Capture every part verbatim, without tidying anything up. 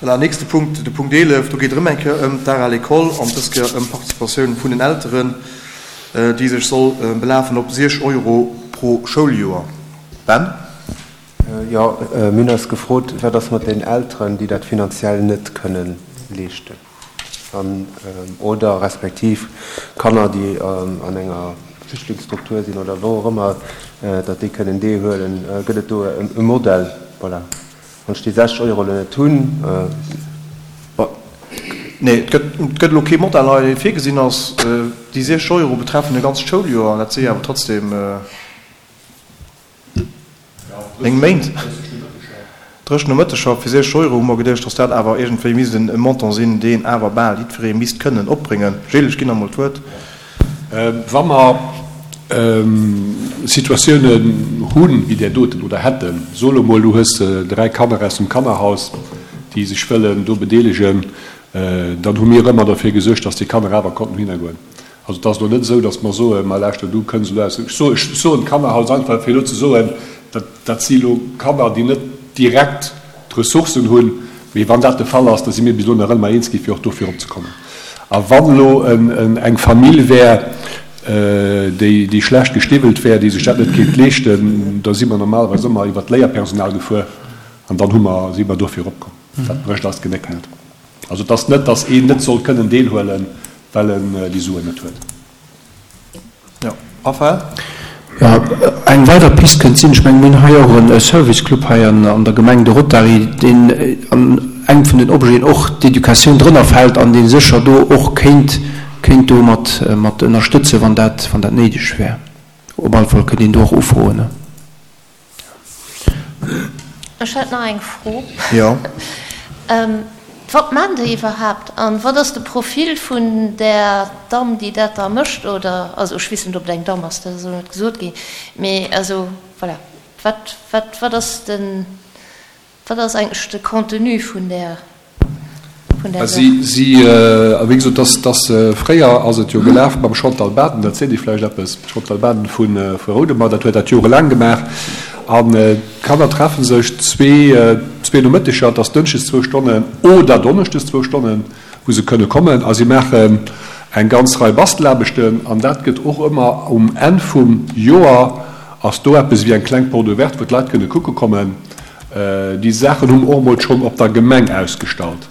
Voilà, nächste Punkt, de Punkt eelef, do geet et erëm eng Kéier ëm d'Art à l'école an dës Kéier ëm d'Participatioun vun den Elteren, déi sech soll belafen op siech Euro pro Schouljoer. Ben? Jo, mir hunn eis gefrot, wat ass mat den Elteren, déi dat finanziell net kënnen leeschten, an oder respektiv Kanner, déi an enger Flüchtlingsstruktur sinn oder wou och ëmmer, datt déi kënnen deelhuelen. Gëtt et do e Modell? Voilà. Wann ech déi sechzeg Euro elo net hunn. Nee, et gëtt, et gëtt elo kee Modell hei, dee virgesinn ass. Déi siechzeg Euro betreffen e ganzt Schouljoer, an dat si jo awer trotzdem néng Méint. Dréchen Nomëtteger fir siechzeg Euro hu mer geduecht, dass dat awer iergendwéi misst e Montant sinn, deen awer bal jiddweree misst kënnen opbréngen. Gilles, ech ginn der emol d'Wuert. Wa mer Situatiounen hunn, wéi där doten, oder hätten, so elo mol, du hues dräi Kanner aus dem Kannerhaus, déi sech wëllen do bedeelegen, dann hu mir ëmmer derfir gesuergt, dass déi Kanner awer konnten dohinner goen. Also et ass elo net esou, dass mer soen, ma lauschter, du kënns elo aus, ech soen, ech soen Kannerhaus einfach, fir elo ze soen, dat, dat si elo Kanner, déi net direkt d'Ressourcen hunn, mee wann dat de Fall ass, da si mir bis elo nach ëmmer eens gi fir och dofir opzekommen. A wann elo eng Famill wär, déi, déi schlecht gestiwwelt wär, déi sech dat net kéint leeschten, da si mer normalerweis ëmmer iwwert d'Léierpersonal gefuer an dann hu mer, si mer dofir opkomm. Dat brécht eis d'Genéck net. Also et ass net, dass een net soll kënnen deelhuelen, well en déi Suen net huet. Jo, Raphaël? Jo, eng weider Pist kënnt sinn, ech mengen, mir hunn hei och e Service Club hei an der Gemeng, de Rotary, deen an engem vun den Objeten och d'Educatioun drënner fält an dee sécher do och kéint, kéint do mat, mat ënnerstëtzen, wann dat, wann dat néideg wär. Op alle Fall kënnt een do och ufroen. Ech hätt nach eng Fro. Jo. Wat maan déi iwwerhaapt an wat ass de Profil vun där Damm déi dat da mécht oder, also ech weess net ob et eng Damm ass, dat ass elo net gesot ginn, mee also voilà, wat wat wat ass den, wat ass eigentlech de Contenu vun där vun där Saach? Si si wéi gesot, dass dass fréier ass et jo gelaf mam Chantal Baden, dat seet Iech vläicht eppes, d'Chantal Baden vu vu Roudemer, dat huet dat jorelaang gemaach an d'Kanner treffe sech zwee zwee Nomëtteger, et ass dënschdes zwou Stonnen oder donneschdes zwou Stonnen, wou se kënne kommen a si maachen eng ganz Rei Bastelaarbechten an dat gëtt och ëmmer um Enn vum Joer ass do eppes ewéi eng kleng Porte ouverte, wou d'Leit kënne kucke kommen. Déi Saachen hu mer och emol schonn op der Gemeng ausgestallt.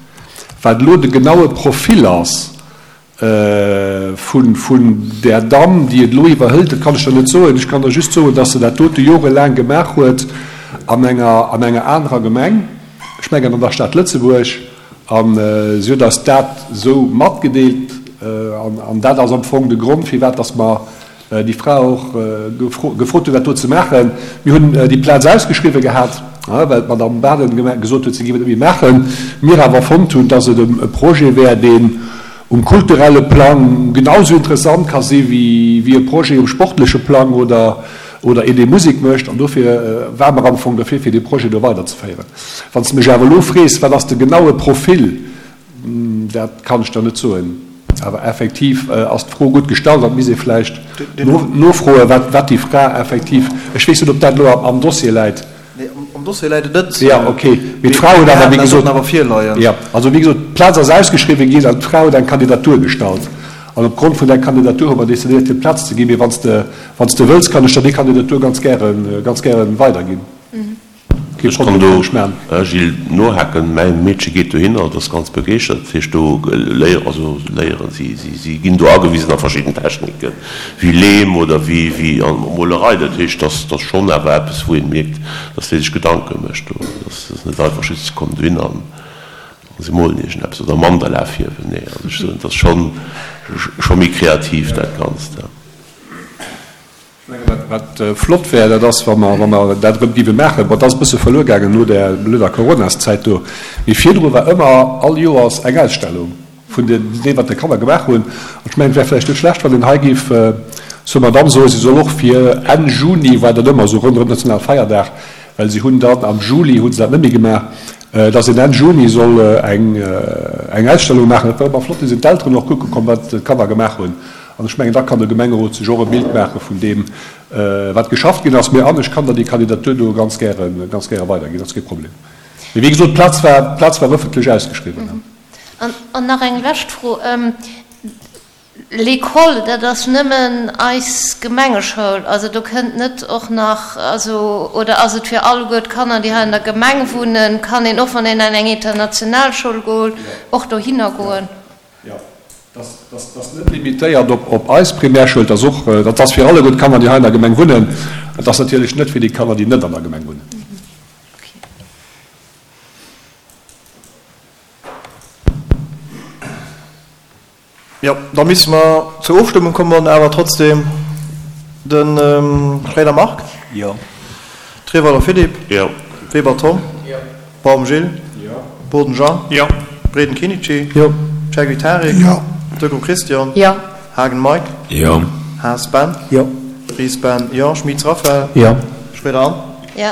Wat elo de genaue Profil ass vun där Damm, déi et elo iwwerhëlt, dat kann ech der net soen. Ech kann der just soen, dass se dat dote jorelaang gemaach huet an enger, an enger anerer Gemeng, ech mengen an der Stad Lëtzebuerg, a si huet eis dat esou matgedeelt. An dat ass am Fong de Grond, firwat dass mer déi Fra och gefrot hunn, dat do ze maachen. Mir hunn déi Plaz ausgeschriwwen gehat, well d'Madame Baden gesot huet, si géif et net méi maachen. Mir awer fonnt hunn, dass et e Projet wär, deen um kulturelle Plang genau esou interessant ka si wéi e Projet um sportleche Plang oder een, dee Musek mécht. An dofir ware mer am Fong derfir, fir dee Projet do weiderzeféieren. Wann s de mech awer elo frees, wat ass de genaue Profil, Dat kann ech der net soen. Awer effektiv ass d'Fro gutt gestallt an et misst ee vläicht nofroen, wat déi Fra effektiv, ech weess net, ob dat elo am Dossier läit. Nee, am Dossier läit et net. Jo, okay. Mee d'Fra huet awer, wéi gesot, jo, also wéi gesot, d'Plaz ass ausgeschriwwen ginn an d'Fra huet eng Kandidatur gestallt. An opgrond vun där Kandidatur hu mer decidéiert, hir d'Plaz ze ginn. Mee wann s de, wann s de wëlls, kann ech der déi Kandidatur ganz gären, ganz gären weiderginn. Kee Ech kann do, Gilles, nohaken. Mäi Meedche geet dohinner, et ass ganz begeeschtert. Dat heescht, do léieren, also léieren, si, si, si ginn do agewisen a verschidden Techniken, wéi Leem oder wéi, wéi an Molerei. Dat heescht, dass, dass schonn awer eppes, wou een mierkt, dass déi sech Gedanke mécht do. Dass ass net einfach just, se kommen dohinner an se molen iergendeppes oder Mandala fierwen. Nee, also ech soen, et ass schonn, scho méi kreativ dat Ganzt. Ech mengen, wat flott wär, dat ass, wa mer, wa mer dat erëm géife maachen. Bon, dat ass e bësse verluer gaangen no där blöder Coronaszäit do. Mee virdru war ëmmer all Joers eng Ausstellung vun deem, wat de Kanner gemaach hunn. An ech mengen, et wär vläicht net schlecht, wann een hei géif zur Madamm soen, si soll och fir Enn Juni, war dat ëmmer esou ronderëm Nationalfeierdag, well si hunn dann am Juli hu se dat net méi gemaach, dass een Enn Juni soll eng, eng Ausstellung maachen. Dat wär ëmmer flott, do sinn d'Elteren och kucke komm, wat d'Kanner gemaach hunn. An ech mengen, da kann de Gemengerot sech och e Bild maache vun deem, wat geschafft ginn ass. Mee an ech kann der déi Kandidatur do ganz gäre, ganz gäre weiderginn, dat ass kee Problem. Mee wéi gesot, d'Plaz war, d'Plaz war ëffentlech ausgeschriwwen. An, an nach eng lescht Fro. L'école, dat ass nëmmen eis Gemengeschoul, also do kënnt net och nach, also, oder ass et fir alleguer d'Kanner, déi hei an der Gemeng wunnen, kann een och, wann een an eng international Schoul goen, och dohinner goen? Jo, dat ass net limitéiert op eis Primärschoul, dat ass och, dat ass fir alleguer d'Kanner, déi hei an der Gemeng wunnen. Et ass natierlech net fir déi Kanner, déi net an der Gemeng wunnen. Jo, da misse mer zur Ofstëmmung kommen, awer trotzdem de Schroeder Marc. Jo. Treweiler Philippe. Jo. Weber Tom. Jo. Baum Gilles. Jo. Boden Jean. Jo. Breden Kinici. Jo. Chergui Tarik. Jo. Degraux Christian. Jo. Haagen Mike. Jo. Haas Ben. Jo. Ries Ben. Jo. Schmitz Raphaël. Jo. Schroeder Anne. Jo.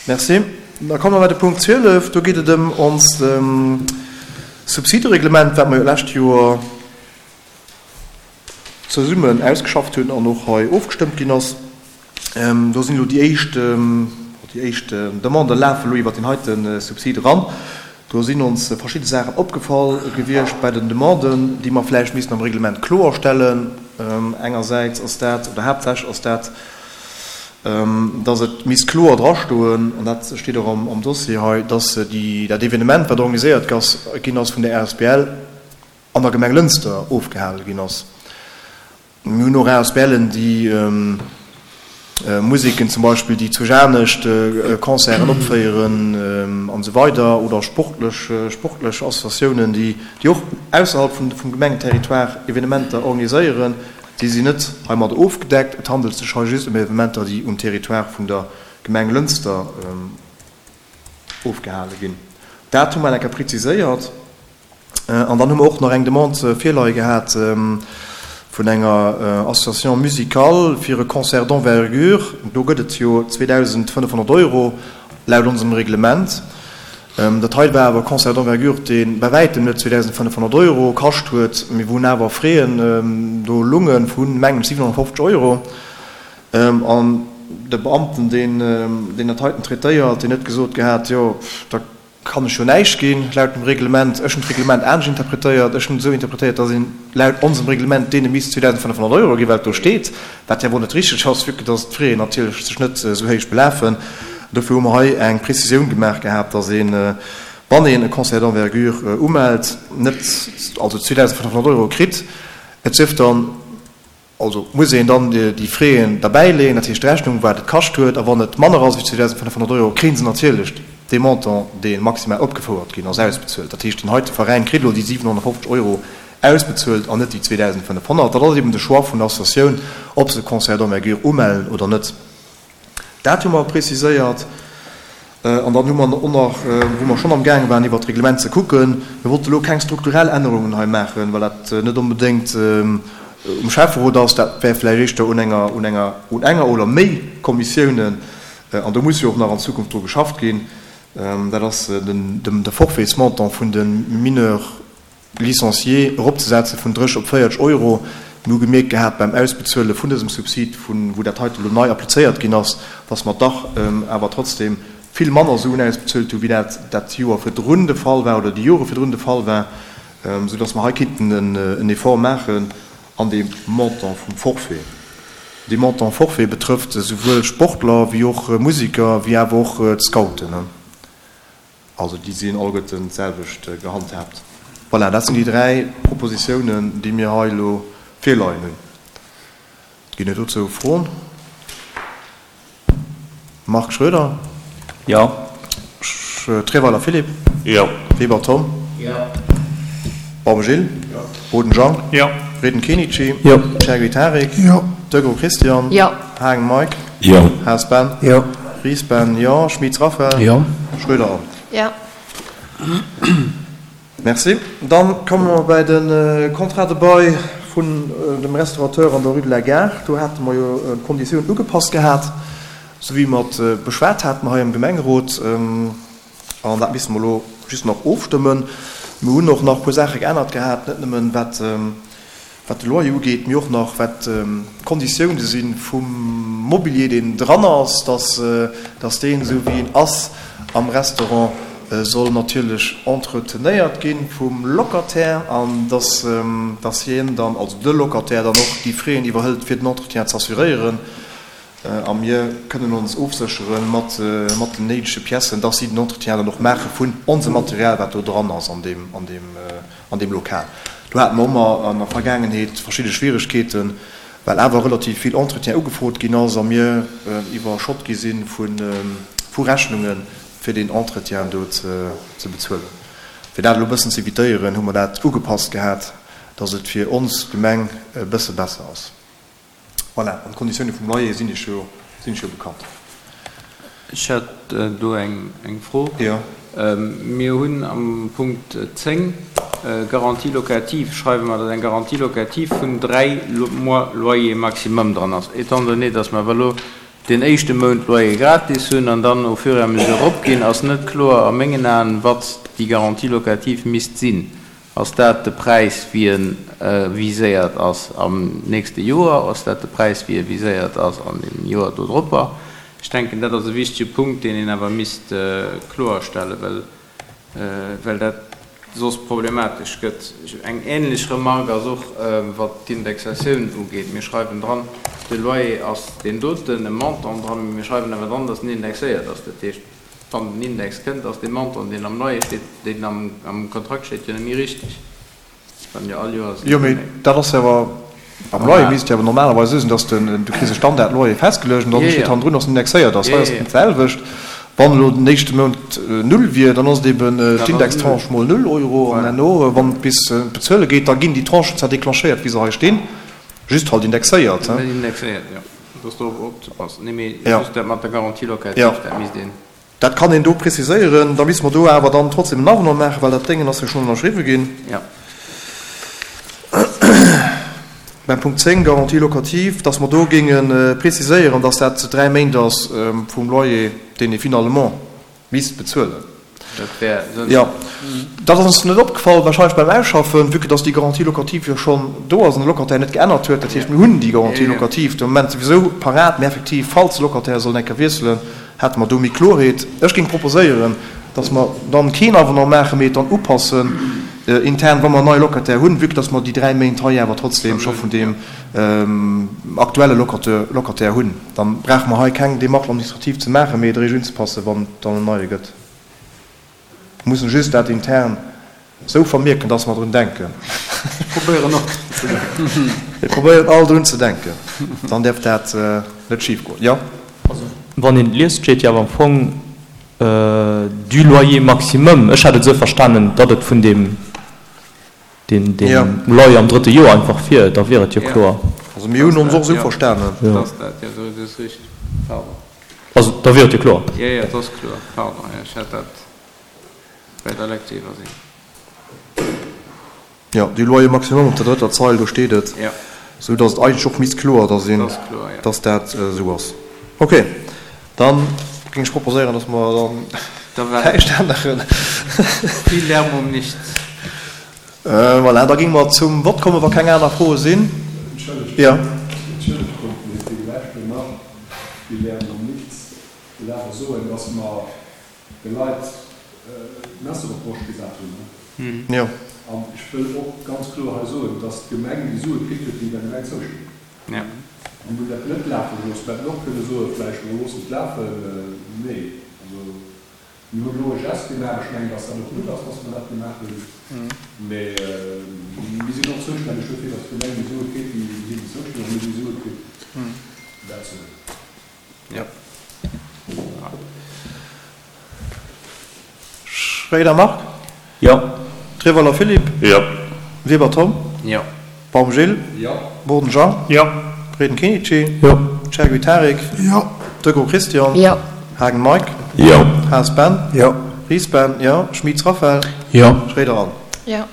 Merci. Da komme mer bei de Punkt zwielef. Do geet et ëm onst Subsidereglement, wat mer jo d'lescht Joer zesummen ausgeschafft hunn an och hei ofgestëmmt ginn ass. Do sinn elo déi éischt, déi éischt Demanden lafen elo iwwert deen heite Subsid eran. Do sinn ons verschidde Saachen opgefall gewiescht bei den Demanden, déi mer vläicht missten am Reglement kloerstellen. Engersäits ass dat, oder haaptsächlech ass dat, dass et misst kloer drastoen, an dat steet och am Dossier hei, dass déi, dat Evenement, wat organiséiert ginn ass vun der asbl, an der Gemeng Lënster ofgehale ginn ass. Mir hunn och ASBLen, déi Museken zum Beispill, déi zu Janescht Concerten opféieren an esou weider, oder sportlech, sportlech Associatiounen, déi, déi och ausserhalb vun, vum Gemengenterritoire Evenementer organiséieren. Déi sinn net heimadder ofgedeckt. Et handelt sech hei just ëm Evenementer, déi um Territoire vun der Gemeng Lënster ofgehale ginn. Dat hu mer eng Kéier preziséiert. An dann hu mer och nach eng Demande virleie gehat vun enger Association musicale fir e Concert d'envergure. Do gëtt et jo zweedausendfënnefhonnert Euro laut onsem Reglement. Dat hei war awer e Concert d'envergure, dee bei wäitem net zweedausendfënnefhonnert Euro kascht huet. Mir hunn awer Fräen do lunge vu mengen ech siwenhonnertfofzeg Euro. An de Beamten, deen deen dat heiten traitéiert, deen huet gesot gehat, jo, da kann ech jo näischt ginn laut dem Reglement. Ech hunn d'Reglement anescht interpretéiert. Ech hunn et esou interpretéiert, datt een laut onsem Reglement deene misst zweedausendfënnefhonnert Euro ginn, wat do steet, wat jo wuel net richteg ass, vue que datt d'Fraien natierlech sech net esou héich belafen. Dofir hu mer hei eng Prezisioun gemaach gehat, dass een, wann een e Concert d'envergure umellt, net also zweedausendfënnefhonnert Euro kritt. Et sief dann, also muss een dann déi Fräen derbäileeën, dat heescht d'Rechnung, wat et kascht huet. A wann et manner ass wéi zweedausendfënnefhonnert Euro, kréie se natierlech dee Montant, dee maximal opgefouert ginn ass, ausbezuelt. Dat heescht, deen heite Veräin kritt elo déi siwenhonnertfofzeg Euro ausbezuelt an net déi zweedausendfënnefhonnert. Dat ass eben de Choix vun der Associatioun, ob se e Concert d'envergure umellen oder net. Dat hu mer preziséiert. An dann hu mer och nach, wou mer schonn amgaange waren iwwert d'Reglement ze kucken, mir wollte elo keng strukturell Ännerungen hei maachen, well dat net onbedéngt um Schäfferot ass, dat wär vläicht éischter un enger, un enger, un enger oder méi Kommissiounen, an do muss jo och nach an Zukunft dru geschafft ginn, dat ass den, de Forfaitsmontant vun de Mineurs licenciés eropzesetze vun dréch op véierteg Euro. Mir hu gemierkt gehat beim Ausbezuele vun dësem Subsid, vun wou dat heite elo nei applizéiert ginn ass, dass mer dach awer trotzdem vill manner Suen ausbezuelt hu wéi dat dat Joer virdrun de Fall war oder déi Jore virdrun de Fall war, soudass mer hei kinnten en Effort maachen an deem Montant vum Forfait. Dee Montant Forfait betrëfft esouwuel Sportler wéi och Museker wéi awer och d'Scouten. Also déi sinn alleguerten d'selwecht gehandhaabt. Voilà, dat sinn déi dräi Propositiounen, déi mir hei elo virleien hunn. Ginn et dozou Froen? Marc Schroeder? Jo. Treweiler Philippe? Jo. Weber Tom? Jo. Baum Gilles? Jo. Boden Jean? Jo. Breden Kenichi? Jo. Chergui Tarik? Jo. Degraux Christian? Jo. Hagen Mike? Jo. Haas Ben? Jo. Ries Ben, jo. Schmitz Raphaël? Jo. Schroeder Anne? Jo. Merci. Dann komme mer bei de Contrat de bail vun dem Restaurateur an der Rue de la Gare. Do hate mer jo d'Konditiounen ugepasst gehat, esou wéi mer et beschwat haten hei am Gemengerot. An dat misste mer elo just nach ofstëmmen. Mir hunn och nach e puer Saache geännert gehat, net nëmmen wat wat de Loyer ugeet, mee och nach wat d'Konditioune si vum Mobilier, deen dran ass, dass dass deen, esou wéi en ass, am Restaurant soll natierlech entretenéiert gi vum Locataire an dass, dass hien dann, also de Locataire dann och déi Frais iwwerhëlt fir den Entretien ze assuréieren. A mir kënnen ons ofséchere mat, mat den néidege Piècen, dass si den Entretien dann och maache vun onsem Material, wat do dran ass an deem, an deem, an deem Lokal. Do hate mer ëmmer an der Vergaangenheet verschidde Schwieregkeeten, well awer relativ vill Entretien ugefrot ginn ass a mir iwwerschott gi si vu Rechnunge fir deen Entretien do ze bezuelen. Fir dat elo e bëssen ze evitéieren, hu mer dat ugepasst gehat, dass et fir ons Gemeng e bësse besser ass. Voilà, an d'Konditioune vum Loyer sinn Iech jo, sinn Iech jo bekannt. Ech hätt do eng, eng Fro. Jo. Mir hunn am Punkt zéng, Garantie locative, schreiwe mer, datt eng Garantie locative vun dräi Mois loyer maximum dran ass. Étant donné, datt mer awer elo deen éischte Mount Loyer gratis hunn an dann au fur et à mesure eropginn, ass net kloer a mengen Aen, wat déi Garantie locative misst sinn. Ass dat de Präis, wéi e viséiert ass am nächste Joer? Ass dat de Präis, wéi e viséiert ass an deem Joer dodropper? Ech denken, dat ass e wichtige Punkt, deen een awer misst kloerstellen, well, well dat soss problematesch gëtt. Eng ähnlech Remarque ass och, wat d'Indexatioun ugeet. Mir schreiwen dran, de Loyer ass deen doten, e Montant dran, mee mir schreiwen awer dran, dass en indexéiert ass. Dat heescht, wann den Index kënnt, ass dee Montant, deen am Loyer steet, deen am Kontrakt steet, jo net méi richteg. Wann jo all Joers. Jo, mee dat ass jo awer, am Loyer misst et jo awer normalerweis esou sinn, dass den, du kriss e Standardloyer festgeluecht an dann steet hannendrun, dass en indexéiert ass. Hei ass et d'selwecht. Wann elo den éischte Mount null wier, dann ass et eben d'Indextranche mol null Euro an herno, wann et bis bezuele geet, da ginn déi Tranchen zwar declenchéiert, wéi se hei stinn, just halt indexéiert. Indexéiert, jo. Do ass drop opzepassen. Nee, mee just dat mat der Garantie locative, dat misst een. Dat kann een do preziséieren. Da misste mer do awer dann trotzdem en Avenant maachen, well dat Déngen ass jo schonn ënnerschriwwe ginn. Jo. Beim Punkt zéng, Garantie locative, dass mer do géinge preziséieren, dass dat dräi Méint ass vum Loyer, deen ee finalement misst bezuelen. Dat wär sënnvoll. Jo. Dat ass ons net opgefall wahrscheinlech beim Ausschaffen, vue que dass déi Garantie locative jo schonn do ass an de Locataire net geännert huet. Dat heescht, mir hunn déi Garantie locative de Moment souwisou parat, mä effektiv, falls de Locataire sollt eng Kéier wiesselen, hätte mer do méi Klorheet. Ech géing proposéieren, dass mer dann keen Avenant maachen, mee et dann upassen intern, wa mer en neie Locataire hunn, vue que dass mer déi dräi Méint hei awer trotzdem scho vun deem aktuelle Locataire hunn. Dann brauche mer hei keng Démarche administrative ze maachen, mee et eréischt unzepassen, wann et dann en neie gëtt. Mir mussen just dat intern esou vermierken, dass mer drun denken. Ech probéieren och drun ze denken. Mir probéieren all drun ze denken, dann däerf dat net schifgoen. Jo? Also wann een et liest, steet jo awer am Fong du loyer maximum. Ech hat et esou verstanen, datt et vun deem deen deen Loyer am drëtte Joer einfach wier. Da wier et jo kloer. Also mir hunn ons och esou verstanen. Dat ass dat, jo, dat ass richteg. Pardon. Also da wier et jo kloer. Jo, jo, et ass kloer. Pardon, jo, ech hat dat bei der Lecture iwwersinn. Jo, du loyer maximum op der drëtter Zeil, do steet et. Jo. Esou datt et eigentlech och misst kloer da sinn, Et ass kloer, jo. datt dat esou ass. Okay, dann géing ech proposéieren, datt mer dann Da war näischt änneren. Viel Lärm um nichts. Voilà, da géinge mer zum Vott kommen, wa keng aner Froe sinn. Entschëllegt, Jo. entschëllegt, mee fir de Lescht elo nach, Viel Lärm um nichts. Ech wëll awer soen, dass mer de Leit d'Messer op d'Broscht gesat hunn. Jo. An ech wëll och ganz kloer hei soen, dass d'Gemeng déi Sue kritt huet, déi der Gemeng zoustinn. Jo. Mir hunn dat net lafe gelooss. Mir hätten och kënne soen, vläicht, mer loossen et lafen. Nee, also mir hunn elo e Geste gemaach. Ech mengen, dass dat och gutt ass, dass mer dat gemaach hunn. Mä mir sinn och zoustänneg dofir, dass d'Gemeng déi Sue kritt, déi hinnen zoustinn. A mir hunn déi Sue kritt. Dat soen ech. Jo. Schréider Marc. Jo. Treweiler Philippe. Jo. Weber Tom. Jo. Baum Gilles. Jo. Boden Jean. Jo. Breden Kenichi. Jo. Chergui Tarik. Jo. Degraux Christian. Jo. Haagen Mike. Jo. Haas Ben. Jo. Ries Ben, jo. Schmitz Raphaël. Jo. Schréider Anne. Jo.